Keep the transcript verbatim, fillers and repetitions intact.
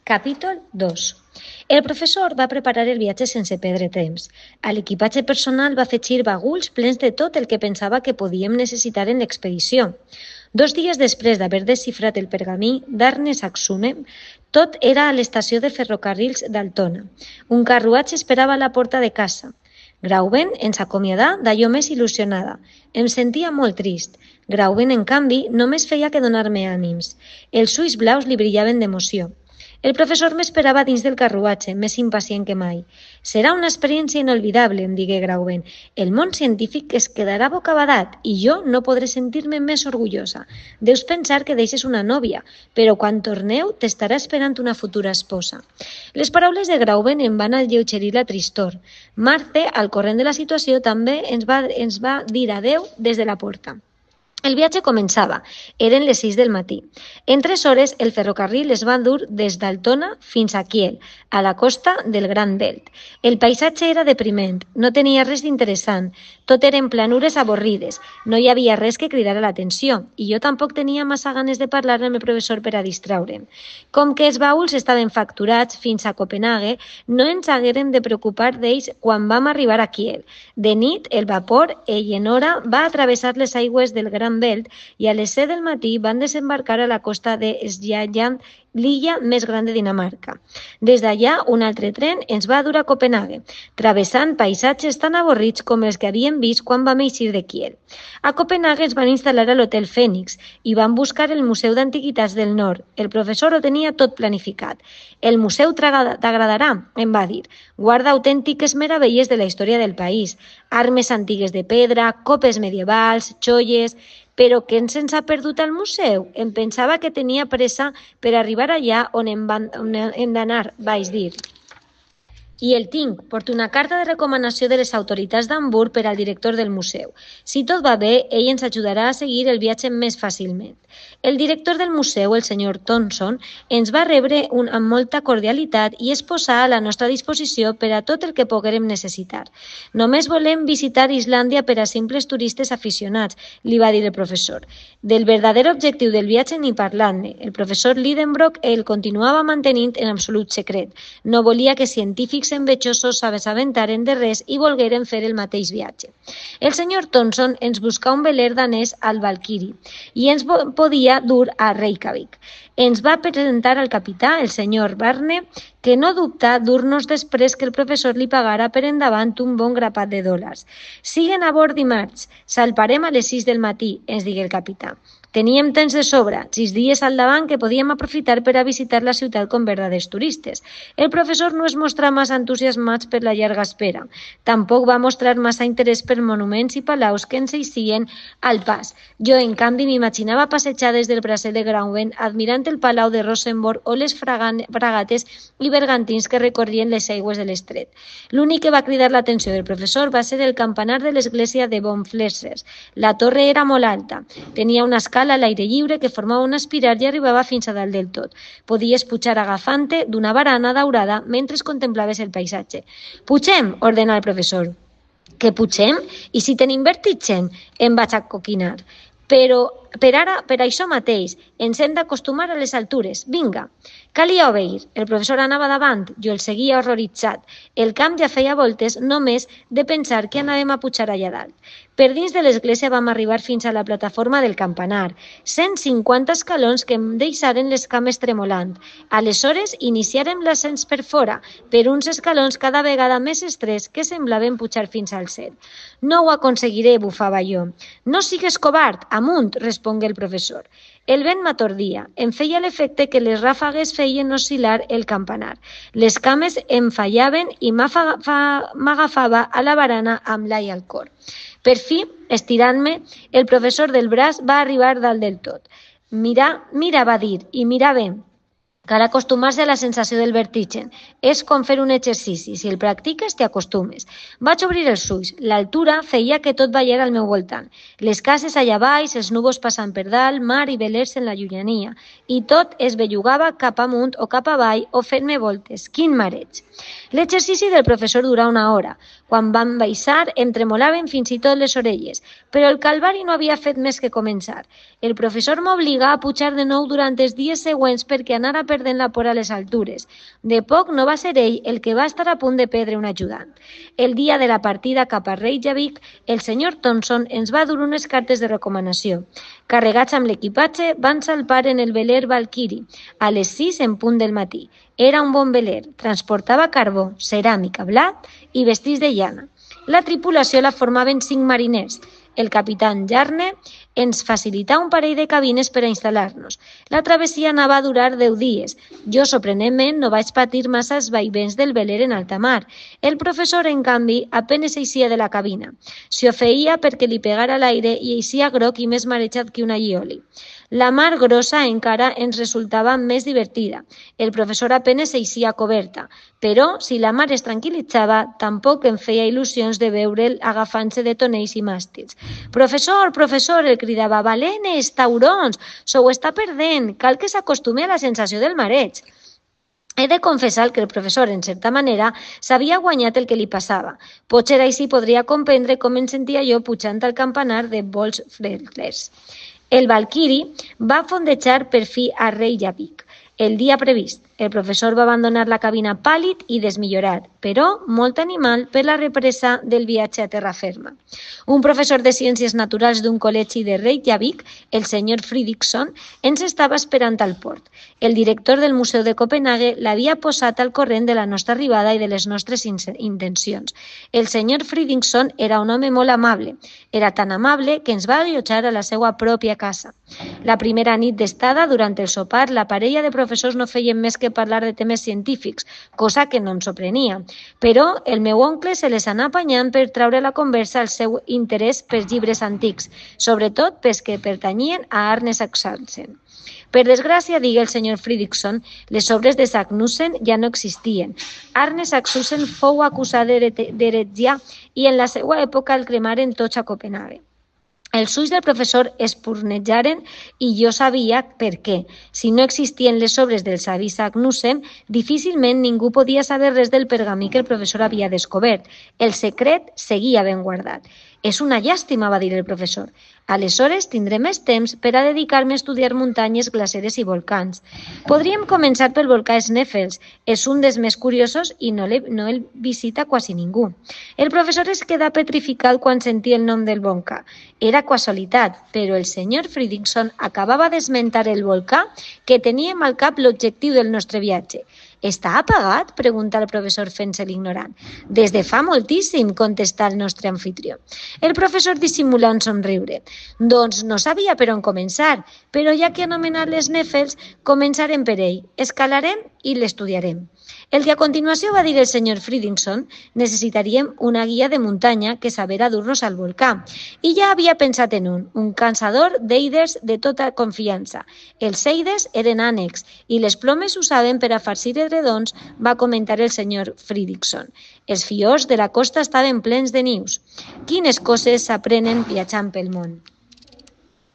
Capítol dos. El professor va preparar el viatge sense perdre temps. A l'equipatge personal va afegir baguls plens de tot el que pensava que podíem necessitar en l'expedició. Dos dies després d'haver desxifrat el pergamí d'Arne Saxume, tot era a l'estació de ferrocarrils d'Altona. Un carruatge esperava a la porta de casa. Grauben ens acomiadà d'allò més il·lusionada. Em sentia molt trist. Grauben, en canvi, només feia que donar-me ànims. Els ulls blaus li brillaven d'emoció. El professor m'esperava dins del carruatge, més impacient que mai. «Serà una experiència inolvidable», em digué Grauben. «El món científic es quedarà bocabadat i jo no podré sentir-me més orgullosa. Deus pensar que deixes una nòvia, però quan torneu t'estarà esperant una futura esposa». Les paraules de Grauben em van alleugerir la tristor. Marce, al corrent de la situació, també ens va, ens va dir adeu des de la porta. El viatge començava. Eren les sis del matí. En tres hores, el ferrocarril es va dur des d'Altona fins a Kiel, a la costa del Gran Belt. El paisatge era depriment, no tenia res d'interessant. Tot eren planures avorrides, no hi havia res que cridara l'atenció, i jo tampoc tenia massa ganes de parlar amb el professor per a distraure'm. Com que els baúls estaven facturats fins a Copenhague, no ens haguérem de preocupar d'ells quan vam arribar a Kiel. De nit, el vapor Eleonora va atravessar les aigües del Gran Belt i a les set del matí van desembarcar a la costa de Sjælland, l'illa més gran de Dinamarca. Des d'allà, un altre tren ens va dur a Copenhague, travessant paisatges tan avorrits com els que havíem vist quan vam eixir de Kiel. A Copenhague ens van instal·lar a l'Hotel Fènix i van buscar el Museu d'Antiguitats del Nord. El professor ho tenia tot planificat. «El museu t'agradarà», em va dir. «Guarda autèntiques meravelles de la història del país. Armes antigues de pedra, copes medievals, joies... Però què se'ns ha perdut al museu? Em pensava que tenia pressa per arribar allà on hem, van, on hem d'anar», vaig dir. «I el tinc. Porto una carta de recomanació de les autoritats d'Hamburg per al director del museu. Si tot va bé, ell ens ajudarà a seguir el viatge més fàcilment». El director del museu, el senyor Thomson, ens va rebre un, amb molta cordialitat i es posà a la nostra disposició per a tot el que poguérem necessitar. «Només volem visitar Islàndia per a simples turistes aficionats», li va dir el professor. Del verdader objectiu del viatge ni parlant-ne. El professor Lidenbrock el continuava mantenint en absolut secret. No volia que científics envejosos s'assabentaren de res i volgueren fer el mateix viatge. El senyor Thomson ens buscà un veler danès al Valkyrie i ens podia dur a Reykjavik. Ens va presentar al capità, el senyor Barne, que no dubtà dur-nos després que el professor li pagara per endavant un bon grapat de dòlars. «Siguen a bord dimarts. Salparem a les sis del matí», ens digué el capità. Teníem temps de sobra, sis dies al davant que podíem aprofitar per a visitar la ciutat com verdaders turistes. El professor no es mostrà massa entusiasmats per la llarga espera. Tampoc va mostrar massa interès per monuments i palaus que ens eixien al pas. Jo, en canvi, m'imaginava passejades del bracer de Grauben, admirant el palau de Rosenborg o les fragates i bergantins que recorrien les aigües de l'estret. L'únic que va cridar l'atenció del professor va ser el campanar de l'església de Bonflesser. La torre era molt alta, tenia una escala a l'aire lliure que formava una espiral i arribava fins a dalt del tot. Podies pujar agafant-te d'una barana daurada mentre contemplaves el paisatge. «Pugem», ordenà el professor. «Que pugem? I si tenim vertigen?» Em vaig acoquinar. «Però per ara, per això mateix, ens hem d'acostumar a les altures. Vinga!» Calia obeir. El professor anava davant, jo el seguia horroritzat. El camp ja feia voltes només de pensar que anàvem a pujar allà dalt. Per dins de l'església vam arribar fins a la plataforma del campanar. cent cinquanta escalons que em deixaren les cames tremolant. Aleshores iniciarem l'ascens per fora, per uns escalons cada vegada més estrets que semblaven pujar fins al cel. «No ho aconseguiré», bufava jo. «No sigues covard, amunt», respongué el professor. El vent m'atordia. Em feia l'efecte que les ràfegues feien oscil·lar el campanar. Les cames em fallaven i m'agafava a la barana amb l'ai al cor. Per fi, estirant-me, el professor del braç va arribar dalt del tot. «Mira, mira», va dir, «i mira bé. Cal acostumar-se a la sensació del vertigen. És com fer un exercici. Si el practiques, t'hi acostumes». Vaig obrir els ulls. L'altura feia que tot ballara al meu voltant. Les cases allà baix, els núvols passant per dalt, mar i velers en la llunyania. I tot es bellugava cap amunt o cap avall o fent-me voltes. Quin mareig! L'exercici del professor durà una hora. Quan vam baixar, em tremolaven fins i tot les orelles, però el calvari no havia fet més que començar. El professor m'obligà a pujar de nou durant els dies següents perquè anara per perdent la por a les altures. De poc no va ser ell el que va estar a punt de perdre un ajudant. El dia de la partida cap a Reykjavik, el senyor Thompson ens va dur unes cartes de recomanació. Carregats amb l'equipatge, van salpar en el veler Valkyrie a les sis en punt del matí. Era un bon veler, transportava carbó, ceràmica, blat i vestits de llana. La tripulació la formaven cinc mariners. El capitán Jarne ens facilità un parell de cabines per a instal·lar-nos. La travessia anava a durar deu dies. Jo, sorprenentment, no vaig patir massa els vaivents del veler en alta mar. El professor, en canvi, apenes eixia de la cabina. S'hi ofeïa perquè li pegara l'aire i eixia groc i més marejat que una llioli. La mar grossa encara ens resultava més divertida. El professor apenes eixia a coberta, però si la mar es tranquil·litzava, tampoc em feia il·lusions de veure'l agafant-se de tonells i màstils. «Professor, professor!», el cridava, «balenes, taurons, se ho està perdent, cal que s'acostume a la sensació del mareig». He de confessar que el professor, en certa manera, s'havia guanyat el que li passava. Potser així podria comprendre com em sentia jo pujant al campanar de Volksfletlers. El Valkyrie va fondejar per fi a Reykjavik el dia previst. El professor va abandonar la cabina pàl·lid i desmillorat, però molt animal per la represa del viatge a terra ferma. Un professor de Ciències Naturals d'un col·legi de Reykjavik, el senyor Fridriksson, ens estava esperant al port. El director del Museu de Copenhague l'havia posat al corrent de la nostra arribada i de les nostres intencions. El senyor Fridriksson era un home molt amable. Era tan amable que ens va allotjar a la seva pròpia casa. La primera nit d'estada, durant el sopar, la parella de professors no feien més que parlar de temes científics, cosa que no em sorprenia. Però el meu oncle se les anà apanyant per traure la conversa al seu interès pels llibres antics, sobretot pels que pertanyien a Arne Saknussemm. Per desgràcia, digui el senyor Fridriksson, les obres de Saknussemm ja no existien. Arne Saknussemm fou acusat d'heretgia i en la seva època el cremaren tots a Copenhague. Els ulls del professor espurnejaren i jo sabia per què. Si no existien les obres del savi Saknussemm, difícilment ningú podia saber res del pergamí que el professor havia descobert. El secret seguia ben guardat. «És una llàstima», va dir el professor. «Aleshores tindré més temps per a dedicar-me a estudiar muntanyes, glaceres i volcans. Podríem començar pel volcà Sneffels. És un dels més curiosos i no, no el visita quasi ningú». El professor es quedà petrificat quan sentia el nom del volcà. Era casualitat, però el senyor Fridriksson acabava d'esmentar el volcà que teníem al cap l'objectiu del nostre viatge. «Està apagat?», pregunta el professor fent-se l'ignorant. «Des de fa moltíssim», contestà el nostre anfitrió. El professor dissimulà un somriure. «Doncs no sabia per on començar, però ja que ha anomenat les Sneffels, començarem per ell. Escalarem i l'estudiarem». El que a continuació va dir el senyor Fridriksson, necessitaríem una guia de muntanya que sabera dur-nos al volcà. I ja havia pensat en un, un caçador d'eiders de tota confiança. Els eiders eren ànecs i les plomes s'usaven per a farcir edredons, va comentar el senyor Fridriksson. Els fiords de la costa estaven plens de nius. Quines coses s'aprenen viatjant pel món.